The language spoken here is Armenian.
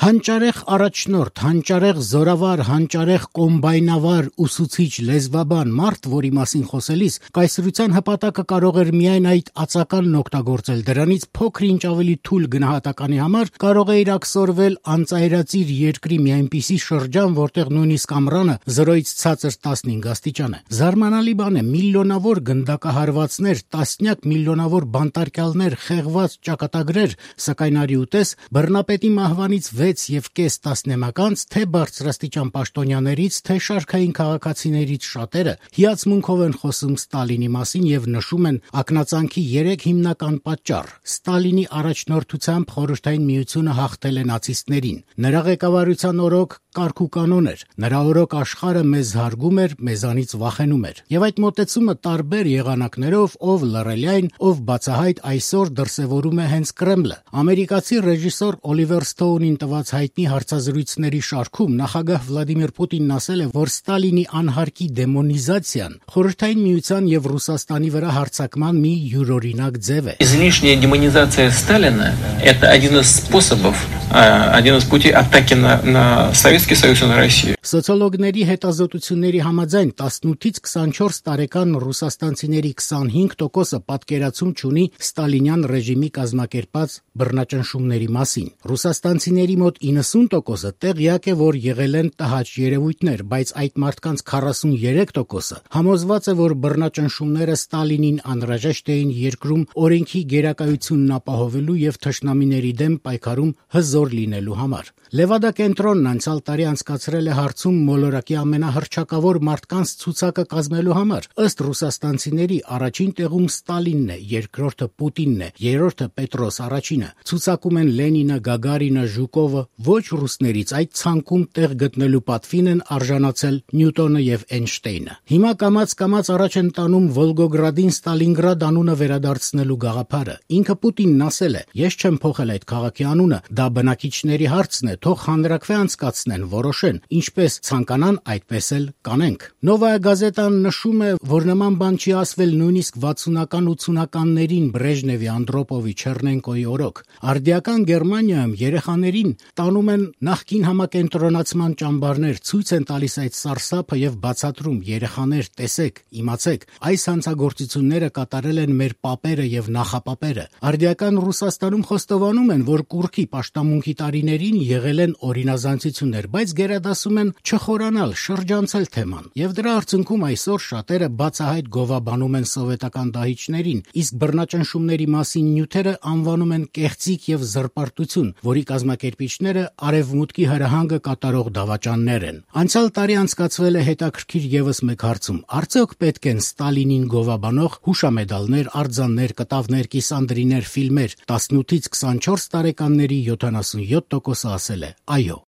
Հանճարեղ առաջնորդ, հանճարեղ զորավար, հանճարեղ կոմբայնավար, ուսուցիչ, լեզվաբան մարդ, որի մասին խոսելիս կայսրության հպատակը կարող էր միայն այդ ածականն օգտագործել, դրանից փոքր-ինչ ավելի թույլ գնահատականի համար կարող է ակսորվել անծայրածիր երկրի մի այնպիսի շրջան, որտեղ նույնիսկ ամռանը 0-ից ցածր 15 աստիճան է։ Զարմանալի բան է, միլիոնավոր գնդակահարվածներ, տասնյակ միլիոնավոր բանտարկյալներ, խեղված ճակատագրեր, սակայն արի ուտես բռնապետի մահվանից 6.5 տասնամյակ թե բարձրաստիճան պաշտոնյաներից, թե շարքային քաղաքացիներից շատերը հիացմունքով են խոսում Ստալինի մասին եւ նշում են ակնածանքի 3 հիմնական պատճառ։ Ստալինի առաջնորդությամբ Խորհրդային Միությունը հաղթել է նացիստներին։ Նրա ղեկավարության օրոք կարգուկանոն էր։ Նրա օրոք աշխարհը մեզ հարգում էր, մեզանից վախենում էր։ Եվ այդ մոտեցումը տարբեր եղանակներով, ով լռելյայն, ով բացահայտ այսօր դրսևորում է հենց Կրեմլը։ Ամերիկացի ռեժիսոր Օլիվեր Սթոունին տված հայտնի հարցազրույցների շարքում նախագահ Վլադիմիր Պուտինն ասել է, որ Ստալինի անհարկի դեմոնիզացիան Խորհրդային Միության եւ Ռուսաստանի վրա հարձակման մի յուրօրինակ ձև է։ Излишняя демонизация Сталина – это один из способов, один из путей атаки на Советский Союз и на Россию. Սոցիոլոգների հետազոտությունների համաձայն 18-ից 24 տարեկան ռուսաստանցիների 25%-ը պատկերացում չունի ստալինյան ռեժիմի կազմակերպած բռնաճնշումների մասին։ Ռուսաստանցիների մոտ 90%-ը տեղյակ է, որ եղել են տհաճ երևույթներ, բայց այդ մարդկանց 43%-ը համոզված է, որ բռնաճնշումները Ստալինին անհրաժեշտ էին երկրում օրենքի գերակայությունն ապահովելու եւ թշնամիների դեմ պայքարում հզոր լինելու համար։ Լևադա կենտրոնն անցյալ տարի անցկացրել է հարցում մոլորակի ամենահռչակավոր մարդկանց ցուցակը կազմելու համար։ Ըստ ռուսաստանցիների առաջին տեղում Ստալինն է, երկրորդը Պուտինն է, երրորդը Պետրոս առաջինը։ Ցուցակում են Լենինը, Գագարինը, Ժուկովը, ոչ ռուսներից այդ ցանկում տեղ գտնելու պատվին են արժանացել Նյուտոնը եւ Էյնշտեյնը։ Հիմա կամաց առաջ են տանում Վոլգոգրադին Ստալինգրադ անունը վերադարձնելու գաղափարը։ Ինքը Պուտինն ասել է. «Ես չեմ փոխել այդ քաղաքի անունը, դա բնակիչների հարցն է, թող հանրաքվե անցկացնեն, որոշեն, ինչպես ցանկանան, այդպես էլ կանենք»։ Նովայա գազետան նշում է, որ նման բան չի ասվել նույնիսկ 60-ական 80-ականներին Բրեժնևի, Անդրոպովի, Չեռնենկոյի օրոք։ Արդիական Գերմանիայում երեխաներին տանում են նախկին համակենտրոնացման ճամբարներ, ցույց են տալիս այդ սարսափը եւ բացատրում. երեխաներ, տեսեք, իմացեք, այս հանցագործությունները կատարել են մեր պապերը եւ նախապապերը։ Արդիական Ռուսաստանում խոստովանում են, որ կուռքի պաշտամունքի տարիներին եղել են օրինազանցություններ, բայց գերադասում են չխորանալ, շրջանցել թեման։ Եվ դրա արդյունքում այսօր շատերը բացահայտ գովաբանում են սովետական դահիճներին, իսկ բռնաճնշումների մասին նյութերը անվանում են կեղծիք եւ զրպարտություն, որի կազմակերպիչները արևմուտքի հրահանգը կատարող դավաճաններ են։ Անցյալ տարի անցկացվել է հետաքրքիր եւս մեկ հարցում. արդյոք պետք են Ստալինին գովաբանող հուշամեդալներ, արձաններ, կտավներ, կիսանդրիներ, ֆիլմեր։ 18-ից 24 տարեկանների 77%-ը ասել է այո։